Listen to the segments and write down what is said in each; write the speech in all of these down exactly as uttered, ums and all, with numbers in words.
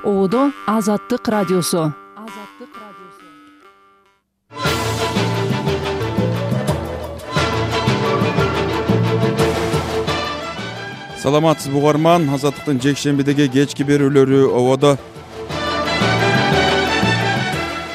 Оодо Азаттык радиосу. Саламатсызбы угарман, Азаттыктын жекшембидеги кечки берүүлөрү ободо.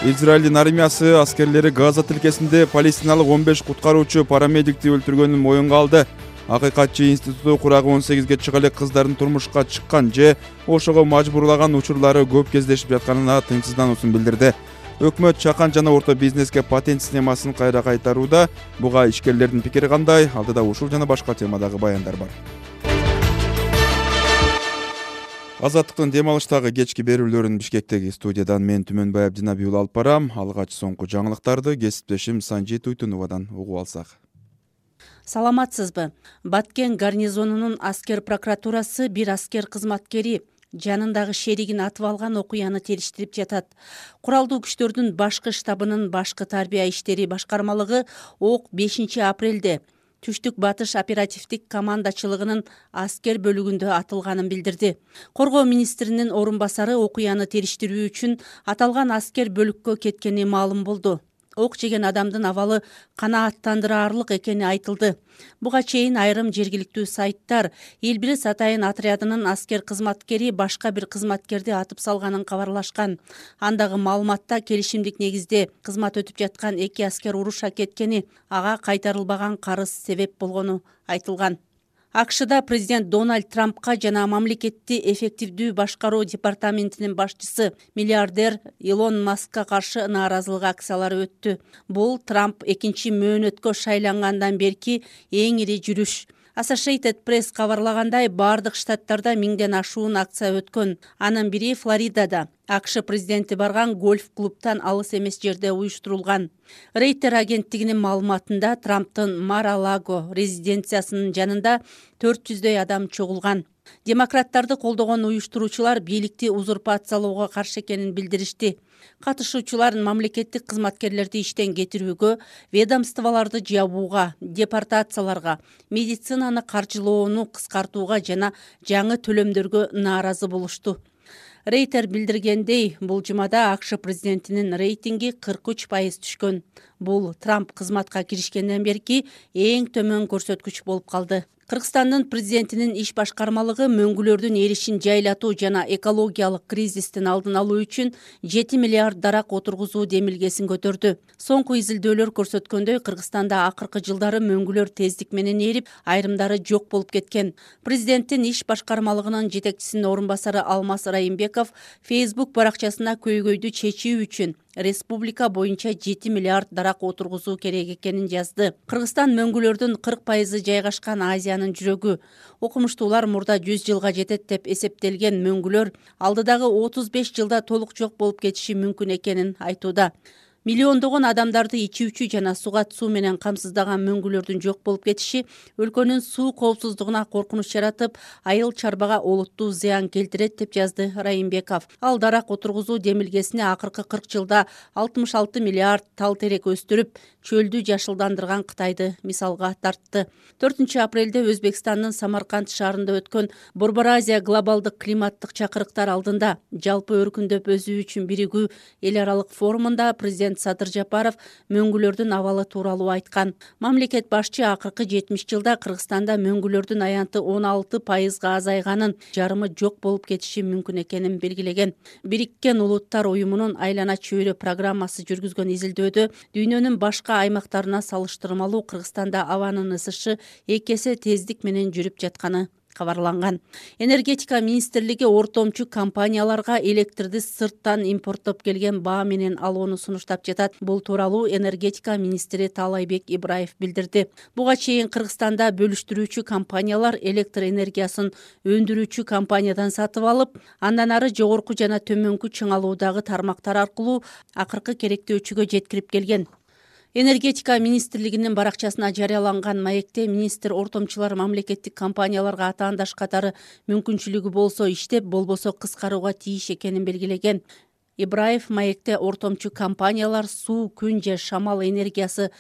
Израилдин армиясы аскерлери Газа тилкесинде палестиналык он беш куткаруучу парамедикти өлтүргөнүн моюнга алды. Акыйкатчы институту курагы он сегизге чыга элек кыздардын турмушка чыккан же ошого мажбурлаган учурлары көп кездешип жатканына тынчсыздануусун билдирди. Өкмөт чакан жана орто бизнеске патент системасын кайра кайтарууда. Буга ишкерлердин пикири кандай? Алдыда ушул жана башка темадагы баяндар бар. Азаттыктын дем алыштагы кечки берүүлөрүн Бишкектеги студиядан мен Түмөнбай Абдинабиул алып барам. Алгач соңку жаңылыктарды кесиптешим Санжи Туйтуновадан угуп алсак. Саламатсызбы? Баткен гарнизонунун аскер прокуратурасы бир аскер кызматкери жанындагы шеригин атып алган окуяны териштирип жатат. Куралдуу күчтөрдүн башкы штабынын башкы тарбия иштери башкармалыгы ок бешинчи апрелде Түштүк батыш оперативдик командачылыгынын аскер бөлүгүндө атылганын билдирди. Коргоо министринин орун басары окуяны териштирүү үчүн аталган аскер бөлүккө кеткени маалым болду. Ок жеген адамдын абалы канааттандыраарлык экени айтылды. Буга чейин айрым жергиликтүү сайттар Элбирис Атайын отрядынын аскер кызматкери башка бир кызматкерди атып салганын кабарлашкан. Андагы маалыматта келишимдик негизде кызмат өтүп жаткан эки аскер уруша кеткени, ага кайтарылбаган карыз себеп болгону айтылган. АКШда президент Дональд Трампка жана мамлекетти эффективдүү башкаруу департаментинин башчысы миллиардер Илон Маскка каршы нааразылык акциялары өттү. Бул Трамп экинчи мөөнөткө шайлангандан берки эң ири жүрүш. Associated Press кабарлагандай, бардык штаттарда миңден ашуун акция өткөн. Анын бири Флоридада, АКШ президенти барган гольф-клубтан алыс эмес жерде уюштурулган. Рейтер агенттигинин маалыматында Трамптын Мар-а-Лаго резиденциясынын жанында төрт жүздөй адам чогулган. Демократтарды колдогон уюштуруучулар бийликти узурпациялоого каршы экенин билдиришти. Катышуучулар мамлекеттик кызматкерлерди иштен кетирүүгө, ведомстволорду жабууга, депортацияларга, медицинаны каржылоону кыскартууга жана жаңы төлөмдөргө нааразы болушту. Рейтер билдиргендей, бул жумада АКШ президентинин рейтинги кырк үч пайыз түшкөн. Бул Трамп кызматка киришкенден берки эң төмөн көрсөткүч болуп калды. Кыргызстандын президентинин иш башкармалыгы мөңгүлөрдүн эришин жайлатуу жана экологиялык кризистин алдын алуу үчүн жети миллиард дарак отургузуу демилгесин көтөрдү. Соңку изилдөөлөр көрсөткөндөй, Кыргызстанда акыркы жылдары мөңгүлөр тездик менен эрип, айрымдары жок болуп кеткен. Президенттин иш башкармалыгынын жетекчисинин орун басары Алмаз Райымбеков Facebook баракчасына көйгөйдү чечүү үчүн республика боюнча жети миллиард дарак отургузуу керек экенин жазды. Кыргызстан мөңгүлөрдүн кырк пайызы жайгашкан Азиянын жүрөгү. Окумуштуулар мурда жүз жылга жетет деп эсептелген мөңгүлөр алдыдагы отуз беш жылда толук жок болуп кетиши мүмкүн экенин айтууда. Миллиондогон адамдарды ичүүчү жана сугат суу менен камсыздаган мөңгүлөрдүн жок болуп кетиши өлкөнүн суу коопсуздугуна коркунуч жаратып, айыл чарбага олуттуу зыян келтирет деп жазды Райымбеков. Ал дарак отургузуу демилгесине акыркы кырк жылда алтымыш алты миллиард тал терек өстүрүп, чөлдү жашылдандырган Кытайды мисалга тартты. төртүнчү апрелде Өзбекстандын Самарканд шаарында өткөн Борбор Азия глобалдык климаттык чакырыктар алдында жалпы өркүндөп өсүү үчүн биригүү эл аралык форумунда президент Садыр Жапаров мөңгүлөрдүн абалы тууралуу айткан. Мамлекет башчы акыркы жетимиш жылда Кыргызстанда мөңгүлөрдүн аянты он алты пайызга азайганын, жарымы жок болуп кетиши мүмкүн экенин белгилеген. Бириккен Улуттар уюмунун Айлана чөйрө программасы жүргүзгөн изилдөөдө дүйнөнүн башка аймактарына салыштырмалуу Кыргызстанда абанын ысышы эки эсе тездик менен жүрүп жатканы кабарланган. Энергетика министрлиги ортомчу компанияларга электрди сырттан импорттоп келген баа менен алууну сунуштап жатат. Бул тууралуу энергетика министри Таалайбек Ибраев билдирди. Буга чейин Кыргызстанда бөлүштүрүүчү компаниялар электр энергиясын өндүрүүчү компаниядан сатып алып, андан ары жогорку жана төмөнкү чыңалуудагы тармактар аркылуу акыркы керектөөчүгө жеткирип келген. Энергетика министрлигинин баракчасына жарыяланган маекте министр ортомчулар мамлекеттик компанияларга атаандаш катары мүмкүнчүлүгү болсо иштеп, болбосо кыскарууга тийиш экенин белгилеген. Ибраев маекте ортомчу компаниялар суу, күн же шамал энергиясы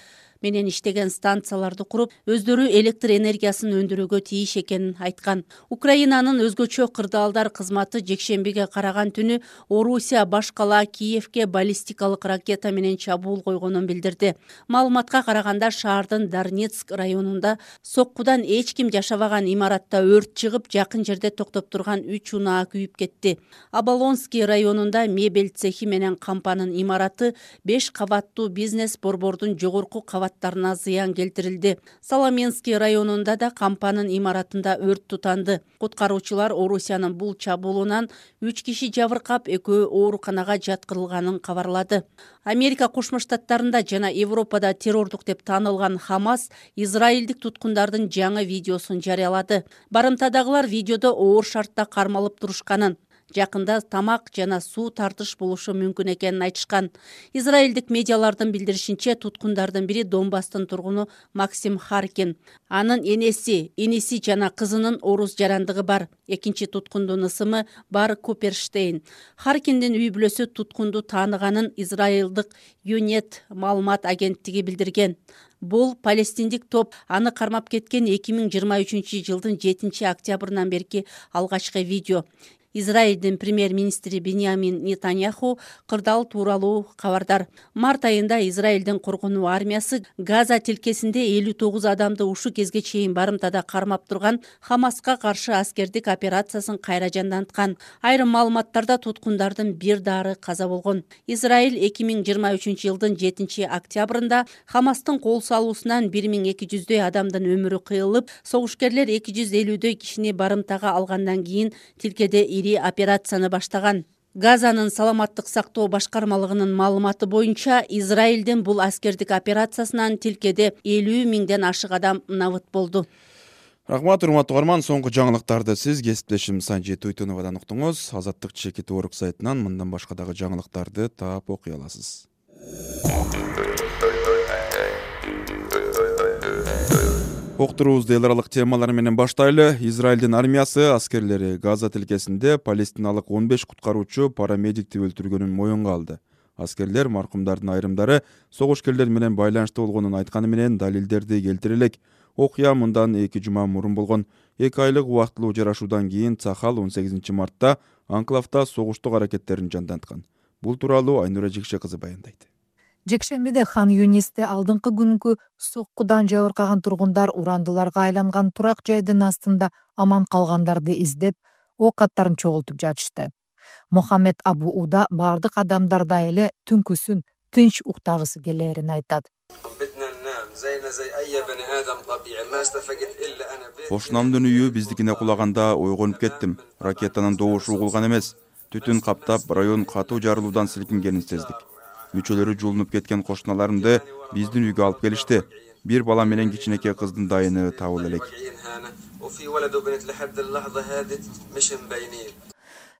менен иштеген станцияларды куруп, өздөрү электр энергиясын өндүрүүгө тийиш экенин айткан. Украинанын өзгөчө кырдаалдар кызматы жекшембиге караган түнү Орусия баш кала Киевке баллистикалык ракета менен чабуул койгонун билдирди. Маалыматка караганда шаардын Дарнецк районунда соккудан эч ким жашабаган имаратта өрт чыгып, жакын жерде токтоп турган үч унаа күйүп кетти. Оболонский районунда мебель цехи менен кампанын имараты беш кабаттуу бизнес борбордун жогорку кабаттарына зыян келтирилди. Соломенский районунда да кампанын имаратында өрт тутанды. Куткаруучулар Орусиянын бул чабуулунан үч киши жабыркап, экөө ооруканага жаткырылганын кабарлады. Америка Кошмо Штаттарында жана Европада террордук деп таанылган Хамас израилдик туткундардын жаңы видеосун жарыялады. Барымтадагылар видеодо оор шартта кармалып турушканын, жакында тамак жана суу тартыш болушу мүмкүн экенин айтышкан. Израилдик медиалардын билдиришинче, туткундардын бири Донбасстын тургуну Максим Харкин. Анын энеси, иниси жана кызынын орус жарандыгы бар. Экинчи туткундун ысымы Бар Куперштейн. Харкиндин үй бүлөсү туткунду тааныганын израилдык Юнет маалымат агенттиги билдирген. Бул палестиндик топ аны кармап кеткен эки миң жыйырма үчүнчү жылдын жетинчи октябрынан берки алгачкы видео. Израилдин премьер-министри Биньямин Нетаньяху кырдаал тууралуу кабардар. Март айында Израилдин коргонуу армиясы Газа тилкесинде элүү тогуз адамды ушу кезге чейин барымтада кармап турган Хамаска каршы аскердик операциясын кайра жанданткан. Айрым маалыматтарда туткундардын бир дары каза болгон. Израиль эки миң жыйырма үчүнчү жылдын жетинчи октябрында Хамастын кол салуусунан бир миң эки жүздөй адамдын өмүрү кыйылып, согушкерлер эки жүз элүүдөй кишини барымтага алгандан кийин тилкеде ири операцияны баштаган. Газанын саламаттык сактоо башкармалыгынын маалыматы боюнча, Израилдин бул аскердик операциясынан тилкеде элүү миңден ашык адам набыт болду. Рахмат, урматтуу угарман, соңку жаңылыктарды сиз кесиптешим Санжи Туйтуновадан уктуңуз. Азаттык чекит орг сайтынан мындан башка дагы жаңылыктарды таап окуй аласыз. Октурубузду эл аралык темалар менен баштайлы. Израилдин армиясы аскерлери Газа тилкесинде палестиналык он беш куткаруучу парамедикти өлтүргөнүн моюнга алды. Аскерлер маркумдардын айрымдары согушкерлер менен байланышта болгонун айтканы менен далилдерди келтире элек. Окуя мындан эки жума мурун болгон. эки айлык убактылуу жарашуудан кийин Цахал он сегизинчи мартта анклавда согуштук аракеттерин жанданткан. Бул тууралуу Айнура Жикше кызы баяндайт. Жекшембиде Хан Юнисте алдыңкы күнкү соккудан жабыркаган тургундар урандыларга айланган турак жайдын астында аман калгандарды издеп, ок аттарын чогултуп жатышты. Мохаммед Абу Уда бардык адамдарда эле түнкүсүн тынч уктагысы келерин айтат. Кошунамдын үйү биздикине кулаганда ойгонуп кеттим. Ракетанын добушу угулган эмес. Түтүн каптап, район катуу жарылуудан силкингенин сездик. Мүчөлөрү жулунуп кеткен кошуналарымды биздин үйгө алып келишти. Бир бала менен кичинекей кыздын дайыны табыла элек.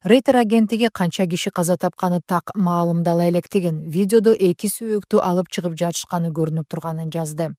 Рейтер агенттиги канча киши каза тапканы так маалымдала электигин, видеодо эки сөөктү алып чыгып жатышканы көрүнүп турганын жазды.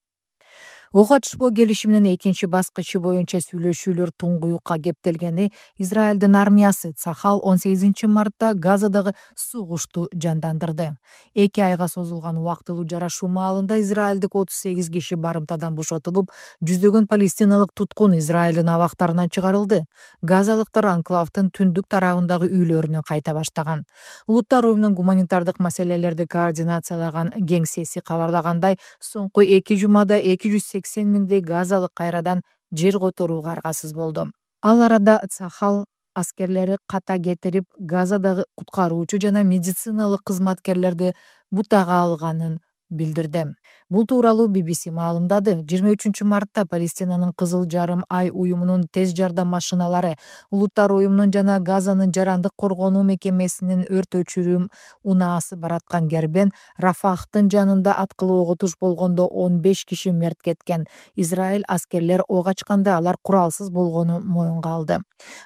Ок атышпоо келишиминин экинчи баскычы боюнча сүйлөшүүлөр туңгуюкка кептелгени Израилдин армиясы Цахал он сегизинчи мартта Газадагы согушту жандандырды. эки айга созулган убактылуу жарашуу маалында израилдик отуз сегиз киши барымтадан бошотулуп, жүздөгөн палестиналык туткун Израилдин абактарынан чыгарылды. Газалыктар анклавдын түндүк тарабындагы үйлөрүнө кайта баштаган. Улуттар уюмунун гуманитардык маселелерди координациялаган кеңсеси кабарлагандай, соңку эки жумада эки жүз сексен миңдей газалык кайрадан жер которууга аргасыз болду. Ал арада Цахал аскерлери ката кетирип, Газадагы куткаруучу жана медициналык кызматкерлерди бутага алганын билдирди. Бул тууралуу би би си маалымдады. жыйырма үчүнчү мартта Палестинанын Кызыл жарым ай уюмунун тез жардам машиналары, Улуттар уюмунун жана Газанын жарандык коргонуу мекемесинин өрт өчүрүү унаасы бараткан кербен Рафахтын жанында аткылоого туш болгондо он беш киши мерт кеткен. Израиль аскерлер ок ачканда алар куралсыз болгону моюнга алды.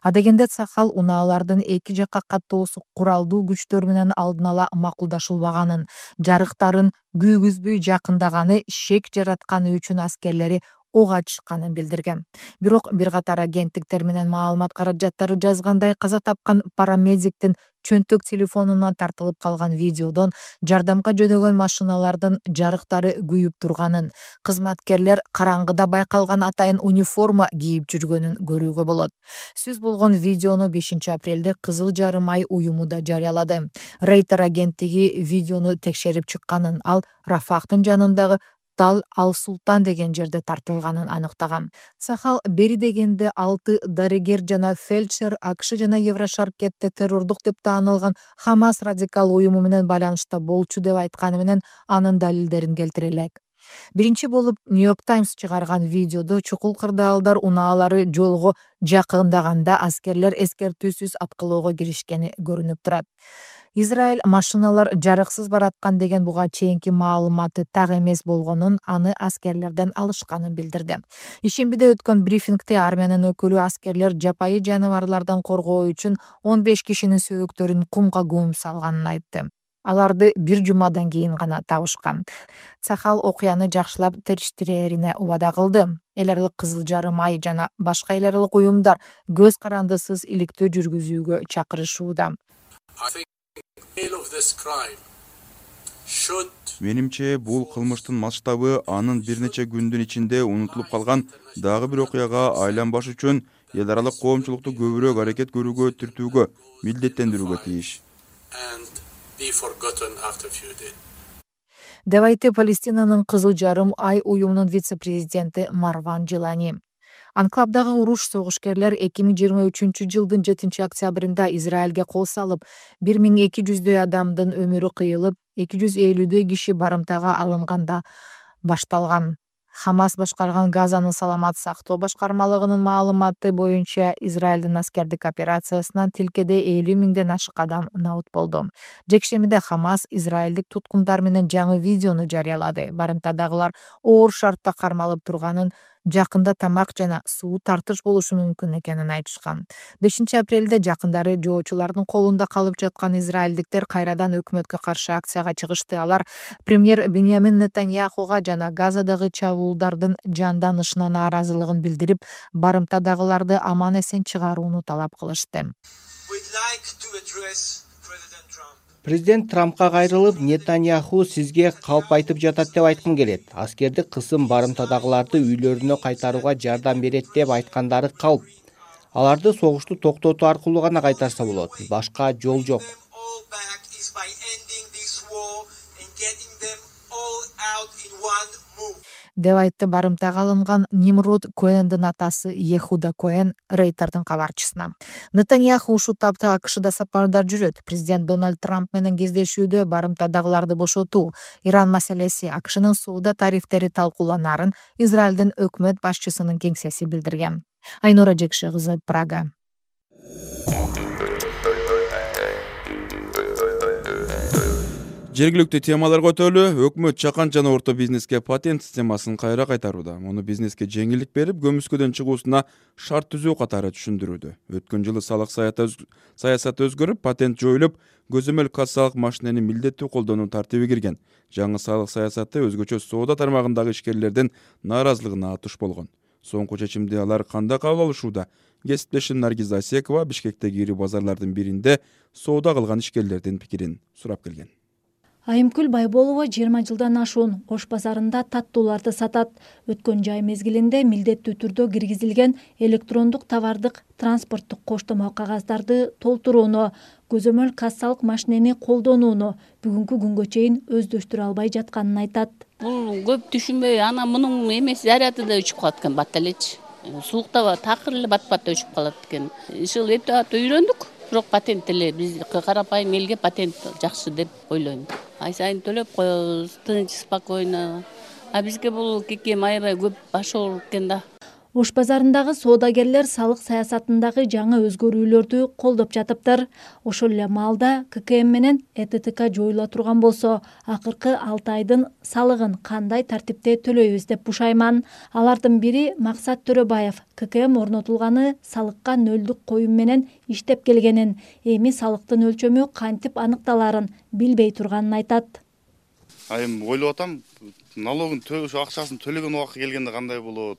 Адегенде Цахал унаалардын эки жакка каттоосу куралдуу күчтөр менен алдын ала макулдашылбаганын, жарыктарын күйгүзбөй жакындаганы шек жаратканы үчүн аскерлери ок ачышканын билдирген. Бирок бир катар агенттиктер менен маалымат каражаттары жазгандай, каза тапкан парамедиктин чөнтөк телефонунан тартылып калган видеодон жардамга жөнөгөн машиналардын жарыктары күйүп турганын, кызматкерлер караңгыда байкалган атайын униформа кийип жүргөнүн көрүүгө болот. Сөз болгон видеону бешинчи апрелде Кызыл Жарым ай уюму да жарыялады. Рейтер агенттиги видеону текшерип чыкканын, ал Рафахтын жанындагы Тал Ал-Султан деген жерде тартылганын аныктаган. Сахал бери дегенде алты дарыгер жана фельдшер АКШ жана Еврошаркетте террордук деп таанылган Хамас радикал уюму менен байланышта болчу деп айтканы менен анын далилдерин келтире элек. Биринчи болуп Нью-Йорк Таймс чыгарган видеодо чукул кырдаалдар унаалары жолго жакындаганда аскерлер эскертүүсүз аткылоого киришкени көрүнүп турат. Израиль машиналар жарыксыз бараткан деген буга чейинки маалыматы так эмес болгонун, аны аскерлерден алышканын билдирди. Ишембиде өткөн брифингде армиянын өкүлү аскерлер жапайы жаныбарлардан коргоо үчүн он беш кишинин сөөктөрүн кумга көмүп салганын айтты. Аларды бир жумадан кийин гана табышкан. Сахал окуяны жакшылап териштирээрине убада кылды. Эл аралык Кызыл Жарым ай жана башка эл аралык уюмдар көз карандысыз иликтөө жүргүзүүгө чакырышууда. Менимче, бул кылмыштын масштабы анын бир нече күндүн ичинде унутулуп калган дагы бир окуяга айланбаш үчүн эл аралык коомчулукту көбүрөөк аракет көрүүгө түртүүгө, милдеттендирүүгө тийиш. Деп айтты Палестинанын Кызыл Жарым ай уюмунун вице-президенти Марван Джилани. Анклавдагы уруш согушкерлер эки миң жыйырма үчүнчү жылдын жетинчи октябрында Израилге кол салып, бир миң эки жүздөй адамдын өмүрү кыйылып, эки жүз элүүдөй киши барымтага алынганда башталган. Хамас башкарган Газанын саламат сактоо башкармалыгынын маалыматы боюнча Израилдин аскердик операциясынан тилкеде элүү миңден ашык адам набыт болду. Жекшемиде Хамас израилдик туткундар менен жаңы видеону жарыялады. Барымтадагылар оор шартта кармалып турганын, жакында тамак жана суу тартыш болушу мүмкүн экенин айтышкан. бешинчи апрелде жакындары жоочулардын колунда калып жаткан израилдиктер кайрадан өкмөткө каршы акцияга чыгышты. Алар премьер Беньямин Нетаньяхуга жана Газадагы чабуулдардын жанданышына нааразылыгын билдирип, барымтадагыларды аман эсен чыгарууну талап кылышты. Президент Трампка кайрылып, Нетаньяху сизге калп айтып жатат деп айткым келет. Аскердик кысым барымтадагыларды үйлөрүнө кайтарууга жардам берет деп айткандары калп. Аларды согушту токтотуу аркылуу гана кайтарса болот. Башка жол жок. Деп айтты барымтага алынган Нимрод Коэндин атасы Ехуда Коэн Рейтердин кабарчысына. Нетаньяху ушул тапта АКШда сапарда жүрөт. Президент Дональд Трамп менен кездешүүдө барымтадагыларды бошотуу, Иран маселеси, АКШнын соода тарифтери талкууланарын Израилдин өкмөт башчысынын кеңсеси билдирген. Айнура Жекше кызы, Прага. Жергиликтүү темаларга өтөлү, өкмөт чакан жана орто бизнеске патент системасын кайра кайтарууда. Муну бизнеске жеңилдик берип, көмүскөдөн чыгуусуна шарт түзүү катары түшүндүрүүдө. Өткөн жылы салык саясаты өзгөрүп, патент жоюлуп, көзөмөл кассалык машинени милдеттүү колдонуу тартиби кирген. Жаңы салык саясаты өзгөчө соода тармагындагы ишкерлердин нааразылыгына туш болгон. Соңку чечимди алар кандай кабыл алышууда? Кесиптешим Наргиза Асекова Бишкектеги ири базарлардын биринде соода кылган ишкерлердин пикирин сурап келген. Айымкүл Байболова жыйырма жылдан ашуун Ош базарында таттууларды сатат. Өткөн жай мезгилинде милдеттүү түрдө киргизилген электрондук товардык транспорттук коштомо кагаздарды толтурууну, көзөмөл кассалык машинени колдонууну бүгүнкү күнгө чейин өздөштүрө албай жатканын айтат. Бул көп түшүнбөй, ана мунун эмес заряды да өчүп калат экен, бат элечи. Сулукта такыр эле бат-бат өчүп калат экен. Ишыл эптеп үйрөндүк. Бирок патент эле биз карапайым элге патент жакшы деп ойлойм. Ай сайын төлөп коебуз, тынч, спокойно. А бизге бул кекем аябай көп баш ооруп экен да. Ош базарындагы соодагерлер салык саясатындагы жаңы өзгөрүүлөрдү колдоп жатыптыр. Ошол эле маалда К К М менен Э Т Т К жоюла турган болсо, акыркы алты айдын салыгын кандай тартипте төлөйбүз деп бушайман. Алардын бири Максат Төрөбаев К К М орнотулганы салыкка нөлдүк коюм менен иштеп келгенин, эми салыктын өлчөмү кантип аныкталарын билбей турганын айтат. Айым ойлоп атам, налогун ошо акчасын төлөгөн убакыт келгенде кандай болот,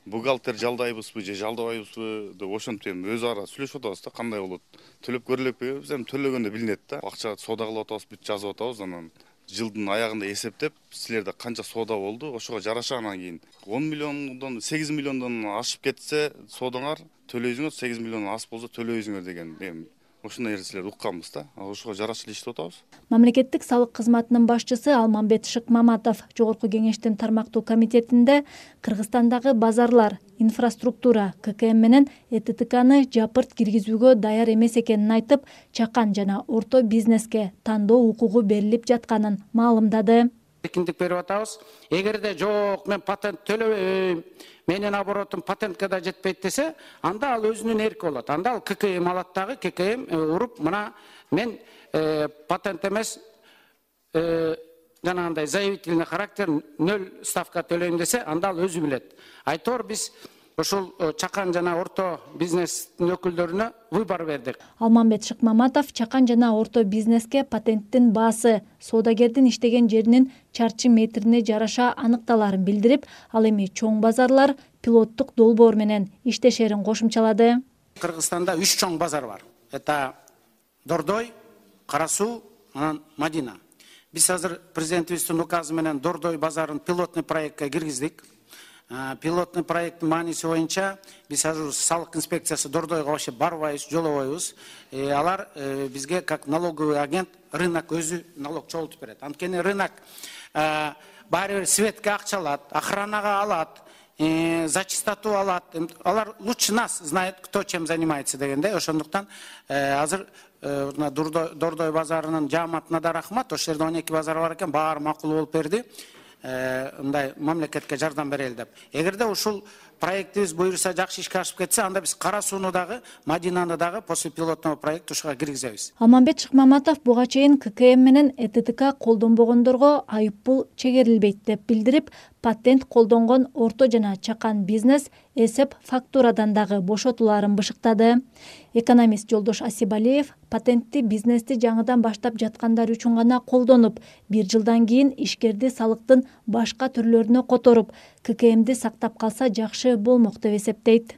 бухгалтер жалдайбызбы же жалдабайбызбы деп ошентип эми өз ара сүйлөшүп атабыз да, кандай болот, төлөп көрө элекпи, биз эми төлөгөндө билинет да, акча соода кылып атабыз, бүт жазып атабыз, анан жылдын аягында эсептеп, силерде канча соода болду, ошого жараша анан кийин он миллиондон сегиз миллиондон ашып кетсе соодаңар төлөйсүңөр, сегиз миллиондон аз болсо төлөйсүңөр деген эми ошондой нерселерди укканбыз да. Ошого жараша иштеп атабыз. Мамлекеттик салык кызматынын башчысы Алмамбет Шыкмаматов Жогорку кеңештин тармактуу комитетинде Кыргызстандагы базарлар, инфраструктура, ка ка эм менен э тэ тэ каны жапырт киргизүүгө даяр эмес экенин айтып, чакан жана орто бизнеске тандоо укугу берилип жатканын маалымдады. Эркиндик берип атабыз. Эгерде жок, мен патент төлөбөйм, менин оборотум патентке да жетпейт десе, анда ал өзүнүн эрки болот. Анда ал ка ка эм алат дагы, ка ка эм уруп, мына мен патент эмес, жанагындай заявительный характер нөл ставка төлөйм десе, анда ал өзү билет. Айтор биз ошол чакан жана орто бизнестин өкүлдөрүнө выбор бердик. Алмамбет Шыкмаматов чакан жана орто бизнеске патенттин баасы, соодагердин иштеген жеринин чарчы метрине жараша аныкталарын билдирип, ал эми чоң базарлар пилоттук долбоор менен иштешерин кошумчалады. Кыргызстанда үч чоң базар бар. Это Дордой, Кара Суу, анан Мадина. Биз азыр президентибиздин указы менен Дордой базарын пилотный проектке киргиздик. Пилотный проекттин мааниси боюнча биз азыр салык инспекциясы Дордойго вообще барбайбыз, жолобойбуз. Алар бизге как налоговый агент рынок өзү налог чогултуп берет. Анткени рынок баары бир светке акча алат, охранага алат, за чистоту алат. Алар лучше нас знает, кто чем занимается дегенде. Ошондуктан азыр Дордой базарынын жааматына да рахмат. Ошол жерде он эки базар бар экен, баары макул болуп берди. Мындай мамлекетке жардам берели деп. Эгерде ушул проектибиз буюрса жакшы ишке ашып кетсе, анда биз Кара Сууну дагы, Мадинаны дагы после пилотного проекта ушуга киргизебиз. Алмамбет Шыкмаматов буга чейин ка ка эм менен э тэ тэ ка колдонбогондорго айып пул чегерилбейт деп билдирип, патент колдонгон орто жана чакан бизнес эсеп фактурадан дагы бошотуларын бышыктады. Экономист Жолдош Асибалиев патентти бизнести жаңыдан баштап жаткандар үчүн гана колдонуп, бир жылдан кийин ишкерди салыктын башка түрлөрүнө которуп, ка ка эмди сактап калса жакшы болмок деп эсептейт.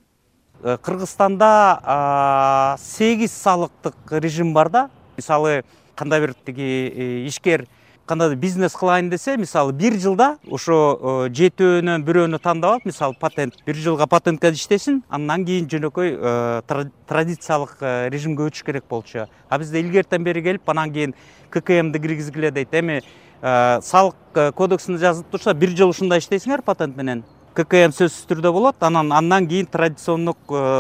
Кыргызстанда сегиз салыктык режим бар да. Мисалы, кандай бир тиги ишкер кандай бизнес кылайын десе, мисалы, бир жылда ошо жетөөнөн бирөөнү тандап алып, мисалы, патент бир жылга патентке иштесин, андан кийин жөнөкөй традициялык режимге өтүш керек болчу. А бизде илгертен бери келип, анан кийин ка ка эмди киргизгиле дейт. Эми салык кодексинде жазылып турса, бир жыл ушундай иштейсиңер патент менен. ка ка эм сөзсүз түрдө болот, анан андан кийин традициондук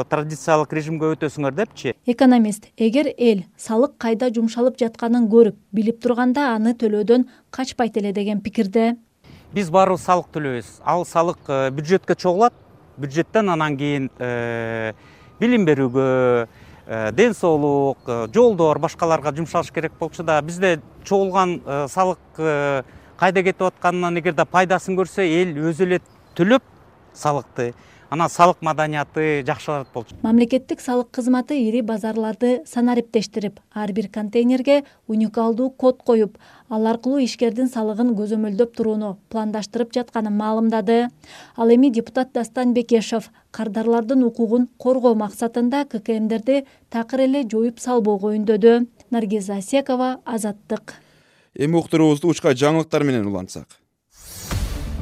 традициялык режимге өтөсүңөр депчи. Экономист, эгер эл салык кайда жумшалып жатканын көрүп, билип турганда аны төлөөдөн качпайт эле деген пикирде. Биз баарыбыз салык төлөйбүз. Ал салык бюджетке чогулат, бюджеттен анан кийин билим берүүгө, ден соолук, жолдор, башкаларга жумшалыш керек болчу да, бизде чогулган салык кайда кетип атканынан эгерде пайдасын көрсө, эл өзү эле төлөп салыкты, анан салык маданияты жакшырат болчу. Мамлекеттик салык кызматы ири базарларды санариптештирип, ар бир контейнерге уникалдуу код коюп, ал аркылуу ишкердин салыгын көзөмөлдөп турууну пландаштырып жатканын маалымдады. Ал эми депутат Дастан Бекешев кардарлардын укугун коргоо максатында ка ка эмдерди такыр эле жоюп салбоого үндөдү. Наргиза Асекова, Азаттык. Эми уктуруубузду учка жаңылыктар менен улантсак.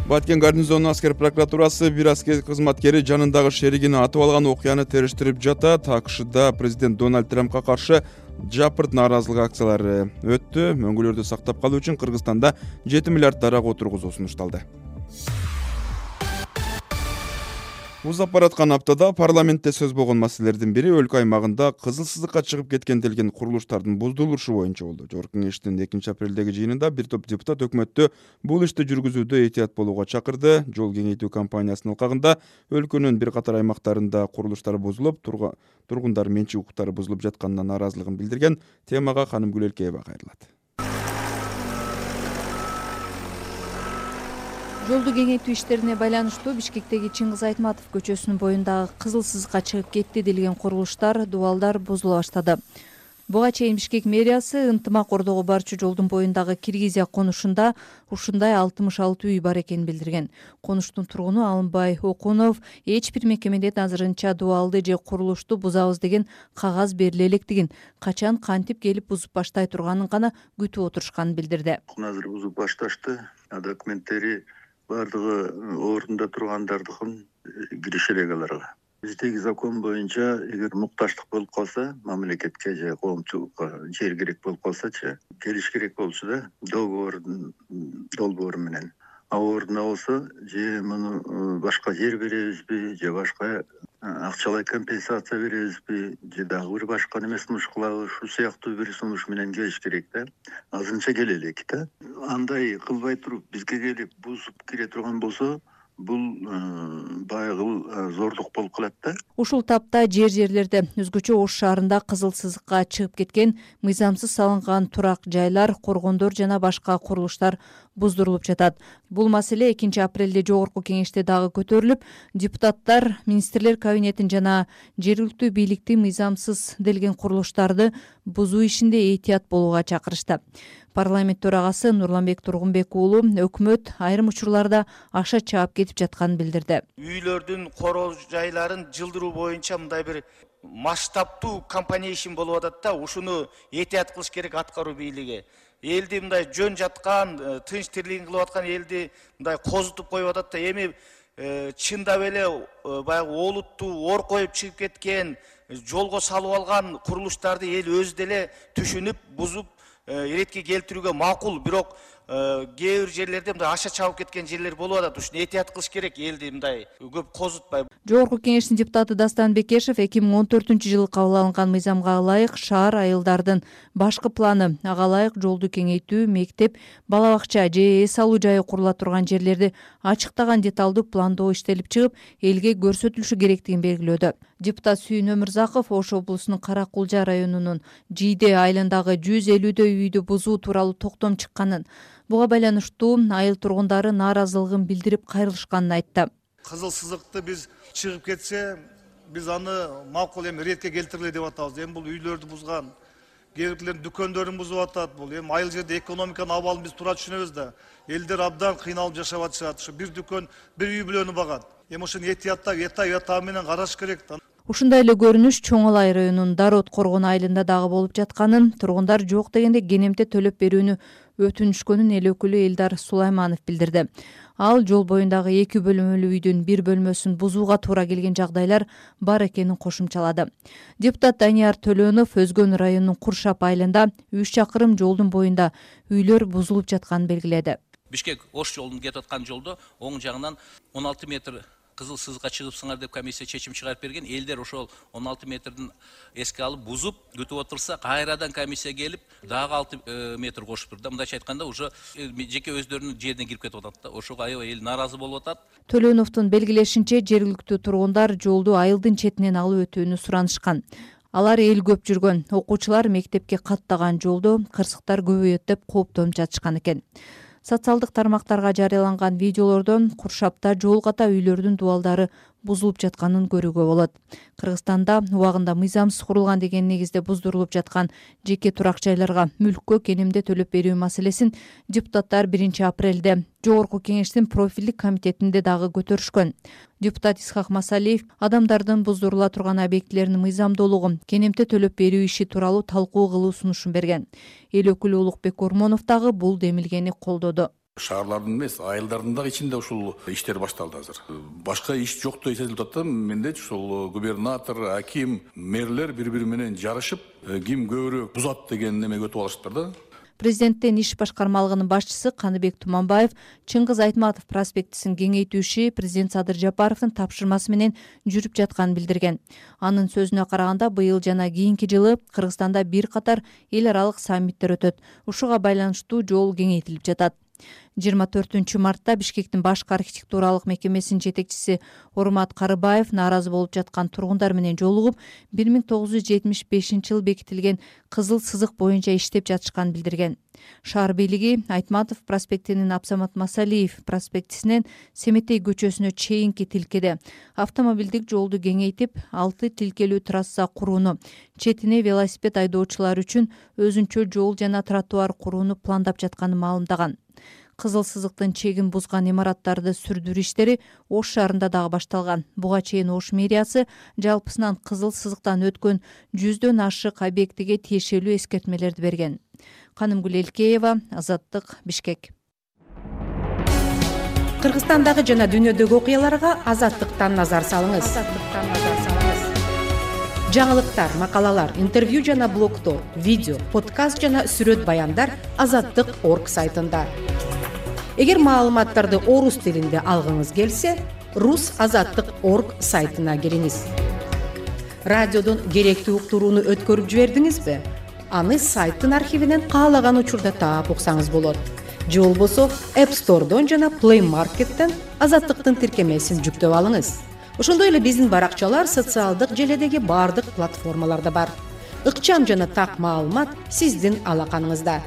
Баткен гарнизонунун аскер прокуратурасы бир аскер кызматкери жанындагы шеригин атып алган окуяны териштирип жатат. АКШда президент Дональд Трампка каршы жапырт нааразылык акциялары өттү. Мөңгүлөрдү сактап калуу үчүн Кыргызстанда жети миллиард дарак отургузуу сунушталды. Узап бараткан аптада парламентте сөз болгон маселелердин бири өлкө аймагында кызыл сызыкка чыгып кеткен делген курулуштардын буздулушу боюнча болду. Жогорку кеңештин экинчи апрелдеги жыйынында бир топ депутат өкмөттү бул ишти жүргүзүүдө этият болууга чакырды. Жол кеңейтүү кампаниясынын ылкагында өлкөнүн бир катар аймактарында курулуштар бузулуп, тургундар менчик укуктары бузулуп жатканына нааразылыгын билдирген. Темага Ханымгүл Элкеева кайрылат. Жолду кеңейтүү иштерине байланыштуу Бишкектеги Чыңгыз Айтматов көчөсүнүн боюндагы кызыл сызыкка чыгып кетти делген курулуштар, дубалдар бузула баштады. Буга чейин Бишкек мэриясы ынтымак ордого барчу жолдун боюндагы Киргизия конушунда ушундай алтымыш алты үй бар экенин билдирген. Конуштун тургуну Алымбай Окунов эч бир мекемеден азырынча дубалды же курулушту бузабыз деген кагаз бериле электигин, качан кантип келип бузуп баштай турганын гана күтүп отурушканын билдирди. Азыр бузуп башташты. Документтери бардыгы ордунда тургандардыкын кириш элек аларга. Биздеги закон боюнча эгер мукташтык болуп калса, мамлекетке же коомчулукка жер керек болуп калсачы, келиш керек болчу да, договордун долбоору менен. А ордуна болсо, же муну башка жер беребизби, же башка акчалай компенсация беребизби, же дагы бир башка неме сунуш кылабы, ушул сыяктуу бир сунуш менен келиш керек да. Азырынча келе элек да. Андай кылбай туруп бизге келип бузуп кире турган болсо, бул баягы зордук болуп калат да. Ушул тапта жер жерлерде өзгөчө Ош шаарында кызыл сызыкка чыгып кеткен мыйзамсыз салынган турак жайлар, коргондор жана башка курулуштар буздурулуп жатат. Бул маселе экинчи апрелде жогорку кеңеште дагы көтөрүлүп, депутаттар министрлер кабинетин жана жергиликтүү бийликти мыйзамсыз делген курулуштарды бузуу ишинде этият болууга чакырышты. Парламент төрагасы Нурланбек Тургунбек уулу өкмөт айрым учурларда акча чаап кетип жатканын билдирди. Үйлөрдүн короо жайларын жылдыруу боюнча мындай бир масштабтуу компания ишин болуп атат да, ушуну этият кылыш керек аткаруу бийлиги. Элди мындай жөн жаткан, тынч тирлигин кылып аткан элди мындай козутуп коюп атат да, эми чындап эле баягы олуттуу ор коюп чыгып кеткен, жолго салып алган курулуштарды эл өзү деле түшүнүп, бузуп иретке келтирүүгө макул, бирок кээ бир жерлерде мындай аша чабып кеткен жерлер болуп атат. Ушуну этият кылыш керек, элди мындай көп козутпай. Жогорку кеңештин депутаты Дастан Бекешев эки миң он төртүнчү жылы кабыл алынган мыйзамга ылайык шаар айылдардын башкы планы, ага ылайык жолду кеңейтүү, мектеп, бала бакча же эс алуу жайы курула турган жерлерди ачыктаган деталдуу пландоо иштелип чыгып, элге көрсөтүлүшү керектигин белгилөөдө. Депутат Сүйүн Өмүрзаков Ош облусунун Кара Кулжа районунун Жийде айылындагы жүз элүүдөй үйдү бузуу тууралуу токтом чыкканын, буга байланыштуу айыл тургундары нааразылыгын билдирип кайрылышканын айтты. Кызыл сызыкты биз чыгып кетсе, биз аны макул эми иретке келтириле деп атабыз. Эми бул үйлөрдү бузган, кээ бирлердин дүкөндөрүн бузуп атат. Бул эми айыл жерде экономиканын абалын биз туура түшүнөбүз да. Элдер абдан кыйналып жашап атышат. Ушу бир дүкөн, бир үй бүлөнү багат. Эми ушуну этияттап, эта эта менен караш керек да. Ушундай эле көрүнүш Чоң Алай районунун Дарот Коргон айылында дагы болуп жатканын, тургундар жок дегенде кенемте төлөп берүүнү өтүнүшкөнүн эл өкүлү Элдар Сулайманов билдирди. Ал жол боюндагы эки бөлмөлүү үйдүн бир бөлмөсүн бузууга туура келген жагдайлар бар экенин кошумчалады. Депутат Данияр Төлөнов Өзгөн районунун Куршап айылында үч чакырым жолдун боюнда үйлөр бузулуп жатканын белгиледи. Бишкек Ош жолунун кетип аткан жолдо оң жагынан он алты метр кызыл сызыкка чыгыпсыңар деп комиссия чечим чыгарып берген. Элдер ошол он алты метрдин эске алып бузуп күтүп отурса, кайрадан комиссия келип дагы алты метр кошуп турду. Мындайча айтканда, уже жеке өздөрүнүн жерине кирип кетип атат да. Ошого аябай эл нааразы болуп атат. Төлөновдун белгилешинче, жергиликтүү тургундар жолду айылдын четинен алып өтүүнү суранышкан. Алар эл көп жүргөн, окуучулар мектепке каттаган жолдо кырсыктар көбөйөт деп кооптонуп жатышкан экен. Социалдык тармактарга жарыяланган видеолордон Куршапта жол ката үйлөрдүн дубалдары бузулуп жатканын көрүүгө болот. Кыргызстанда убагында мыйзамсыз курулган деген негизде буздурулуп жаткан жеке турак жайларга мүлккө кенемде төлөп берүү маселесин депутаттар биринчи апрелде жогорку кеңештин профилдик комитетинде дагы көтөрүшкөн. Депутат Исхак Масалиев адамдардын буздурула турган объектилеринин мыйзамдуулугун, кенемте төлөп берүү иши тууралуу талкуу кылуу сунушун берген. Эл өкүлү Улукбек Ормонов дагы бул демилгени колдоду. Шаарлардын эмес, айылдардын дагы ичинде ушул иштер башталды азыр. Башка иш жоктой сезилип атат. Менде ушул губернатор, аким, мэрлер бири-бири менен жарышып, ким көбүрөөк бузат деген неме өтүп алышыптыр да. Президенттин иш башкармалыгынын башчысы Каныбек Туманбаев Чыңгыз Айтматов проспектисин кеңейтүү иши президент Садыр Жапаровдун тапшырмасы менен жүрүп жатканын билдирген. Анын сөзүнө караганда, быйыл жана кийинки жылы Кыргызстанда бир катар эл аралык саммиттер өтөт. Ушуга байланыштуу жол кеңейтилип жатат. жыйырма төртүнчү мартта Бишкектин башкы архитектуралык мекемесинин жетекчиси Урмат Карыбаев нааразы болуп жаткан тургундар менен жолугуп, бир миң тогуз жүз жетимиш бешинчи жылы бекитилген кызыл сызык боюнча иштеп жатышканын билдирген. Шаар бийлиги Айтматов проспектинин Абсамат Масалиев проспектисинен Семетей көчөсүнө чейинки тилкеде автомобилдик жолду кеңейтип, алты тилкелүү трасса курууну, четине велосипед айдоочулар үчүн өзүнчө жол жана тротуар курууну пландап жатканын маалымдаган. Кызыл сызыктын чегин бузган имараттарды сүрдүрүү иштери Ош шаарында дагы башталган. Буга чейин Ош мэриясы жалпысынан кызыл сызыктан өткөн жүздөн ашык объектиге тиешелүү эскертмелерди берген. Канымгүл Элкеева, Азаттык, Бишкек. Кыргызстандагы жана дүйнөдөгү окуяларга Азаттыктан назар салыңыз. Жаңылыктар, макалалар, интервью жана блогдор, видео, подкаст жана сүрөт баяндар азаттык точка орг сайтында. Эгер маалыматтарды орус тилинде алгыңыз келсе, рус азаттык точка орг сайтына кириңиз. Радиодон керектүү уктурууну өткөрүп жибердиңизби? Аны сайттын архивинен каалаган учурда таап уксаңыз болот. Же болбосо App Store'дон жана Play Market'тен Азаттыктын тиркемесин жүктөп алыңыз. Ошондой эле биздин баракчалар социалдык желедеги бардык платформаларда бар. Ыкчам жана так маалымат сиздин алаканыңызда.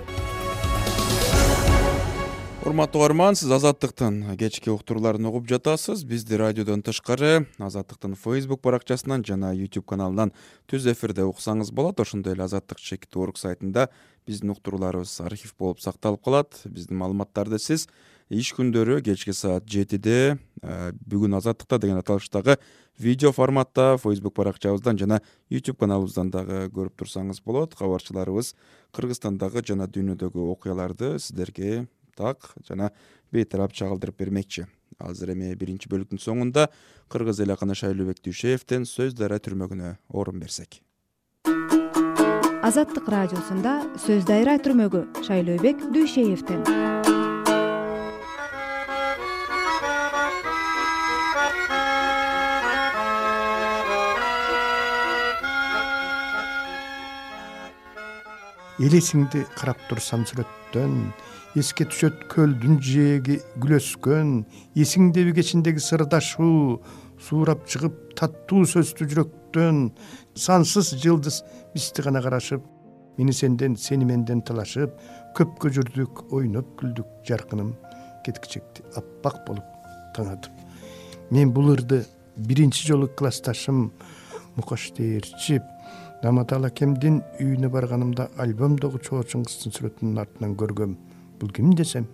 Урматтуу угарман, сиз Азаттыктын кечки уктурууларын угуп жатасыз. Бизди радиодон тышкары Азаттыктын Facebook баракчасынан жана YouTube каналынан түз эфирде уксаңыз болот. Ошондой эле азаттык точка орг сайтында биздин уктурууларыбыз архив болуп сакталып калат. Биздин маалыматтарды сиз иш күндөрү кечки саат жетиде бүгүн Азаттыкта деген аталыштагы видео форматта Facebook баракчабыздан жана YouTube каналыбыздан дагы көрүп турсаңыз болот. Кабарчыларыбыз Кыргызстандагы жана дүйнөдөгү окуяларды сиздерге так жана бейтарап чагылдырып бермекчи. Азыр эми биринчи бөлүктүн соңунда Кыргыз эл акыны Шайлообек Дүйшеевден Сөз дайра түрмөгүнө орун берсек. Азаттык радиосунда Сөз дайра түрмөгү Шайлообек Дүйшеевден. Элесиңди карап турсам сүрөттөн, эске түшөт көлдүн жээги гүл өскөн, эсиңдеби кечиндеги сырдашуу, суурап чыгып таттуу сөздү жүрөктөн, сансыз жылдыз бизди гана карашып, мени сенден, сени менден талашып, көпкө жүрдүк, ойноп күлдүк, жаркыным кеткичекти аппак болуп таңатып. Мен бул ырды биринчи жолу классташым Мукаш Дээрчип Наматал акемдин үйүнө барганымда альбомдогу чоочун кыздын сүрөтүнүн артынан көргөм. Бул ким десем,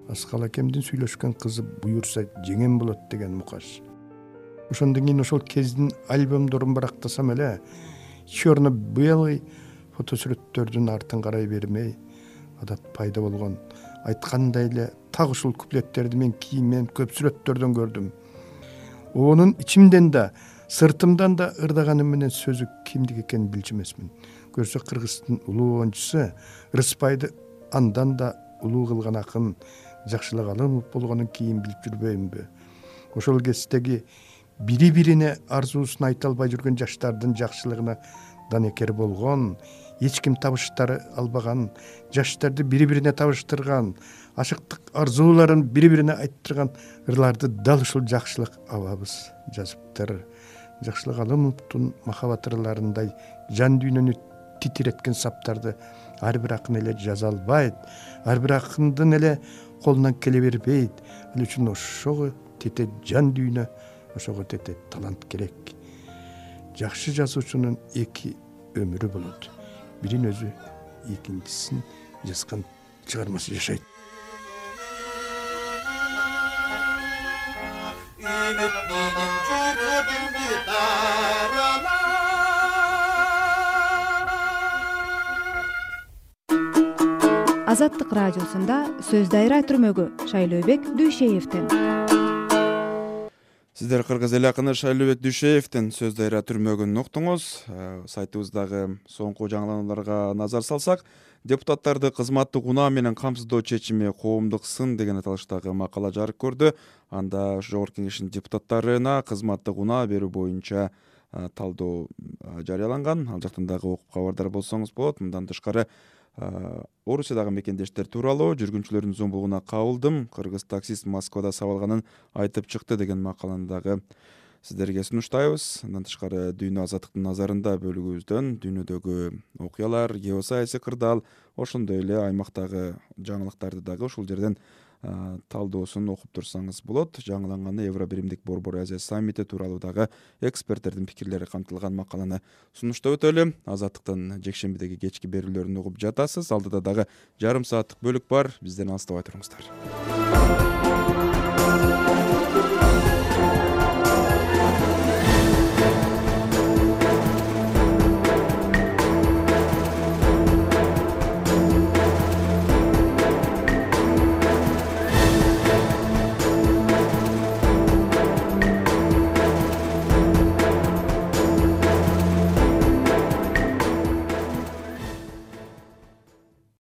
Аскал акемдин сүйлөшкөн кызы буюрса жеңем болот деген Мукаш. Ошондон кийин ошол кездин альбомдорун барактасам эле, черно-белый фотосүрөттөрдүн артын карай бермей, адат пайда болгон. Айткандай эле так ушул куплеттерди мен кийинмен көп сүрөттөрдөн көрдүм. Онун ичимден да, сыртымдан да ырдаганым менен сөзү кимдик экенин билчү эмесмин. Көрсө Кыргыздын улуу оюнчусу Рыспайды андан да улуу кылган акын Жакшылык Алымов болгонун кийин билип жүрбөймүнбү? Ошол кездеги бири-бирине арзуусун айта албай жүргөн жаштардын жакшылыгына данекер болгон, эч ким табыштары албаган, жаштарды бири-бирине табыштырган, ашыктык арзууларын бири-бирине айттырган ырларды дал ушул Жакшылык абабыз жазыптыр. Жакшылык Алымовдун махабат ырларындай жан дүйнөнү титиреткен саптарды ар бир акын эле жаза албайт, ар бир акындын эле колунан келе бербейт. Ал үчүн ошого тете жан дүйнө, ошого тете талант керек. Жакшы жазуучунун эки өмүрү болот. Бирин өзү, экинчисин жазган чыгармасы жашайт. Азаттык радиосунда Сөз дайра түрмөгү Шайлообек Дүйшеевден. Сиздер Кыргыз эл акыны Шайлообек Дүйшеевден Сөз дайра түрмөгүн уктуңуз. Сайтыбыздагы соңку жаңыланууларга назар салсак, депутаттарды кызматтык унаа менен камсыздоо чечими коомдук сын деген аталыштагы макала жарык көрдү. Анда Жогорку Кеңештин депутаттарына кызматтык унаа берүү боюнча талдоо жарыяланган. Ал жактан дагы окуп кабардар болсоңуз болот. Мындан тышкары Орусиядагы мекендештер тууралуу жүргүнчүлөрдүн зомбулугуна кабылдым, кыргыз таксист Москвада сабалганын айтып чыкты деген макаланы дагы сиздерге сунуштайбыз. Андан тышкары Дүйнө Азаттыктын назарында бөлүгүбүздөн дүйнөдөгү окуялар, геосаясий кырдаал, ошондой эле аймактагы жаңылыктарды дагы ушул жерден талдоосун окуп турсаңыз болот. Жаңыланганы Евро биримдик Борбор Азия саммити тууралуу дагы эксперттердин пикирлери камтылган макаланы сунуштап өтөлү. Азаттыктын жекшембидеги кечки берүүлөрүн угуп жатасыз. Алдыда дагы жарым сааттык бөлүк бар. Бизден алыстабай туруңуздар.